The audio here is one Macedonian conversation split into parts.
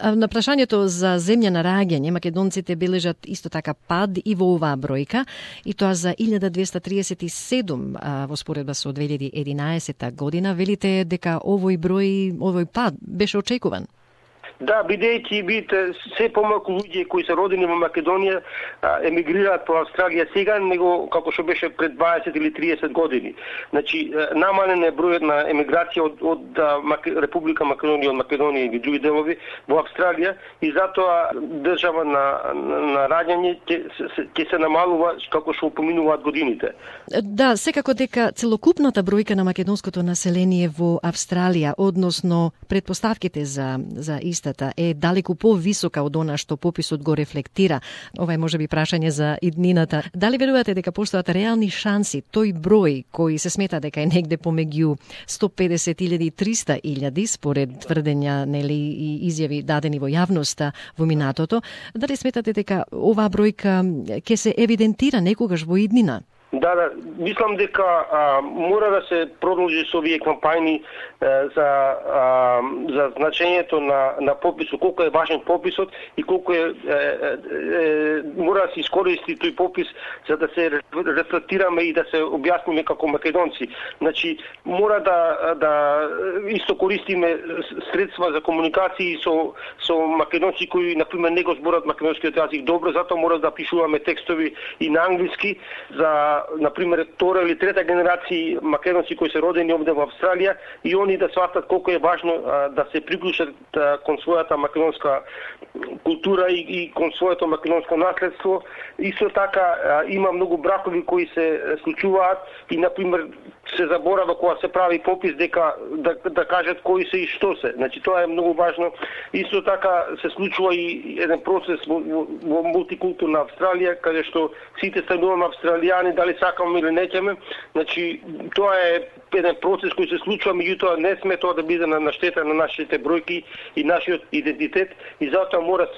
На прашањето за земја на раѓање, македонците бележат исто така пад и во оваа бројка, и тоа за 1237 во споредба со 2011 година. Велите дека овој пад беше очекуван? Да, бидејќи се помалку луѓе кои се родени во Македонија емигрираат по Австралија сега, него како што беше пред 20 или 30 години. Значи, намален е бројот на емиграција од Република Македонија, од Македонија и други делови во Австралија, и затоа држава на раѓање ќе се намалува како што поминуваат годините. Да, секако дека целокупната бројка на македонското население во Австралија, односно предпоставките за истата, е далеку повисока од она што пописот го рефлектира. Ова е можеби прашање за иднината. Дали верувате дека постојат реални шанси тој број кој се смета дека е негде помеѓу 150.000 и 300.000 според тврдења и изјави дадени во јавноста во минатото, дали сметате дека оваа бројка ќе се евидентира некогаш во иднина? Да, мислам дека мора да се продолжи со овие кампањи за значењето на пописот, колку е важен пописот и колку мора да се искористи тој попис за да се рефлектираме и да се објасниме како македонци. Значи, мора да исто користиме средства за комуникации со македонци кои, например, не го зборат македонскиот јазик добро, затоа мора да пишуваме текстови и на англиски за, например, втора или трета генерација македонци кои се родени овде во Австралија, и они да сватат колку е важно да се приклучат кон својата македонска култура и кон своето македонско наследство. Исто така има многу бракови кои се случуваат и, например, се заборава кога се прави попис дека да кажат кои се и што се. Значи, тоа е многу важно. Исто така се случува и еден процес во мултикултурна Австралија, каде што сите стануваме австралијани, дали сакаме или не ќеме. Значи, тоа е еден процес кој се случува, меѓутоа не сме тоа да биде на штета на нашите бројки и нашиот идентитет, и затоа мора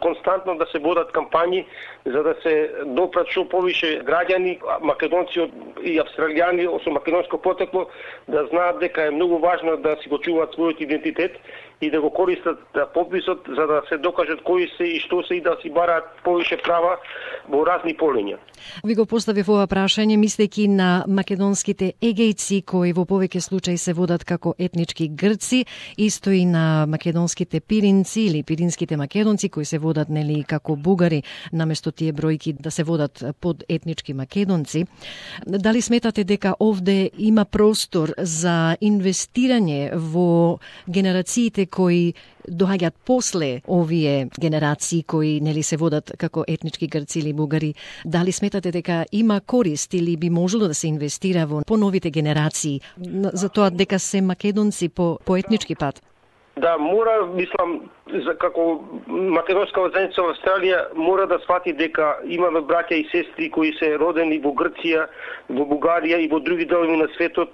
константно да се водат кампањи за да се допрат што повише граѓани, македонци и австралијани со македонско потекло, да знаат дека е многу важно да си го чуваат својот идентитет и да го користат пописот за да се докажат кои се и што се и да си бараат повише права во разни полиња. Ви го поставив ова прашање мислејќи на македонските егејци кои во повеќе случаи се водат како етнички грци, исто и на македонските пиринци или пиринските македонци кои се водат како бугари, наместо тие бројки да се водат под етнички македонци. Дали сметате дека овде има простор за инвестирање во генерациите кои доаѓаат после овие генерации кои се водат како етнички грци или бугари? Дали сметате дека има корист или би можело да се инвестира во поновите генерации за тоа дека се македонци по етнички пат? Да, мора, мислам, како македонска заедница во Австралија мора да свати дека имаме браќа и сестри кои се родени во Грција, во Бугарија и во други делови на светот,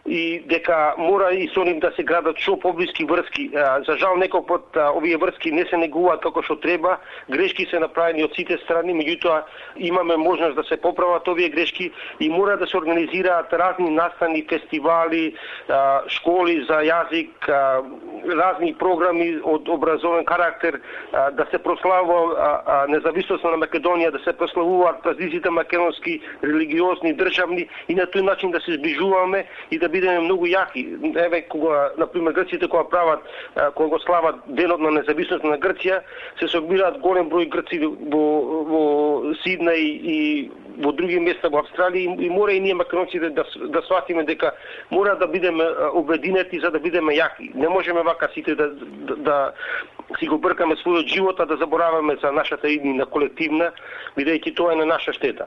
и дека мора и со нив да се градат што поблиски врски. За жал некој пат овие врски не се негуваат како што треба, грешки се направени од сите страни, меѓутоа имаме можност да се поправат овие грешки и мора да се организираат разни настани, фестивали, школи за јазик, разни програми од образовен карактер, да се прославува независноста на Македонија, да се прославуваат празниците македонски, религиозни, државни, и на тој начин да се зближуваме и да бидеме многу јаки. Еве, кога, например, грците кога кога го слават денот на независност на Грција, се собираат голем број грци во Сиднеј и во други места во Австралија, и мора и ние македонците да сватиме дека мора да бидеме обединети за да бидеме јаки. Не можеме вака сите да си го бркаме својот живот, а да забораваме за нашата иднина колективна, бидејќи тоа е на наша штета.